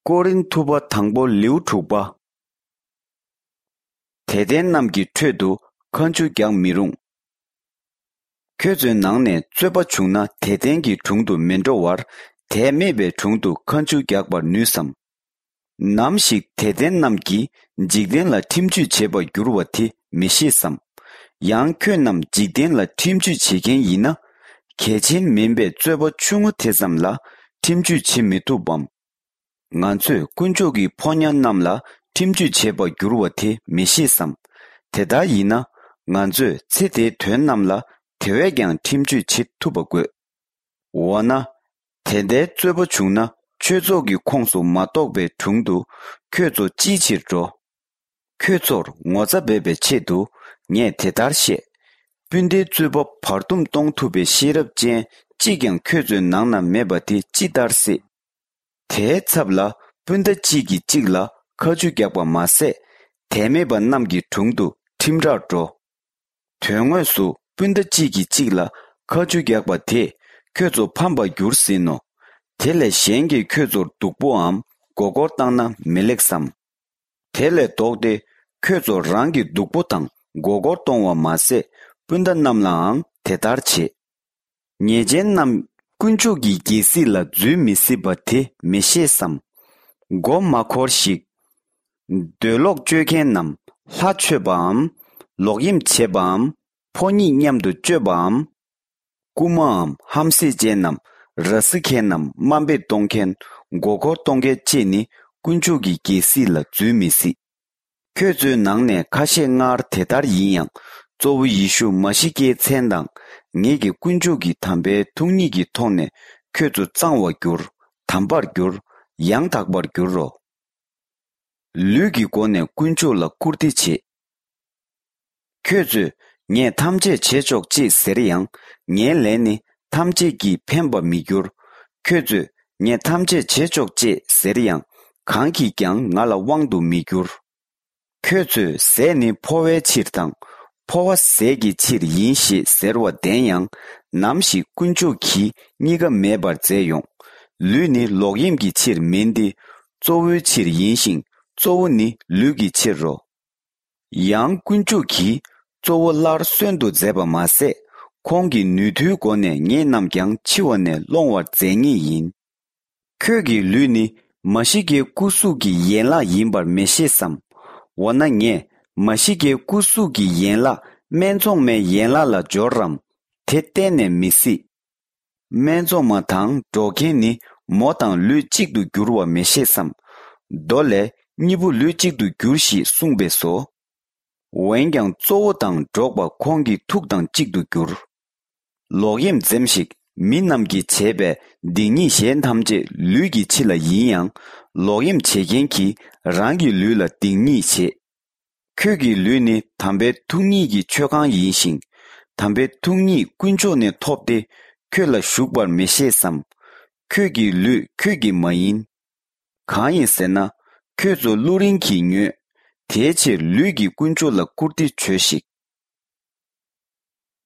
꼬린 투바 당보 리우 투바 대된 남기 퇴도 컨주경 미룽 쾌준 낭내 쯧바 중나 대된기 중도 면조와 대매베 중도 컨주격바 뉴섬 남식 대된 남기 직된라 팀주 제바 유르와티 미시섬 양쾌남 직된라 팀주 지겐이나 개진 민베 쯧바 중우 대삼라 팀주 치미투범 nganzu kunjogi ponyan namla timju cheba gyurwati mishisam teda yina nganzu tsite tuen namla tewegyang timju chit tubagwe wana tende zueba chungna chezogi kongsu matokbe chungdu kyozo jichirjo kyozor ngoza bebe chedu nye tedarshe bunde zueba pardum tongtube shirab jen jigyang kyozo nangna mebati jidarse 대 찹라 분데 지기 찍라 거주격과 마세 대매번 남기 중도 팀자죠 퇴원수 분데 지기 찍라 거주격과 대 교조 판바 유르시노 텔레 시행기 교조 독보암 고고 땅나 멜렉삼 텔레 독데 교조 랑기 독보땅 고고 동와 마세 분데 남랑 대다르치 예젠남 kunchugi gisi la zui misi bati meshe sam go makor shik delok jöken nam la chöbam logim chebam poni nyamdu chöbam kumam hamsi jenam rasikenam mambe tongken gogo tongge chini kunchugi gisi la zui misi közu nangne kashe ngar tedar yiyang zowu yishu mashike chendang ngegi kunjugi tambe tungnigi tonne közu zangwa gyur, tambar gyur, yang takbar gyurro. Lugi gone kunju la kurdi chi. Közu nye tamje chechok chi seriyang, nye leni tamje gi pemba mi gyur. Közu nye tamje chechok chi seriyang, kanki kyang ngala wangdu mi gyur. Közu seni powe chirtang, 포와 세기 칠 인시 세르와 대양 남시 군주기 니가 매발 제용 류니 로임기 칠 민디 조위 칠 인신 조우니 류기 칠로 양 군주기 조월라 선도 제바마세 공기 누두고네 니남경 치원네 롱와 제니인 크기 류니 마시게 구수기 예라 임발 메시삼 원나녜 마시게 구수기 옌라 맨종메 옌라라 조람 테테네 미시 맨종마탕 조케니 모탕 류직두 규르와 메시삼 돌레 니부 류직두 규시 숭베소 웬경 조당 조바 공기 툭당 직두 규르 로임 젬식 민남기 제베 딩이 셴탐제 류기 칠라 이양 로임 체겐키 랑기 류라 딩이 체 kögi lüni tambe tungni gi chogang yinxing tambe tungni kunjo ne topde köla shukbar meshe sam kögi lü kögi mayin kanyin sena közo lurin ki nyu teche lügi kunjo la kurdi chöshik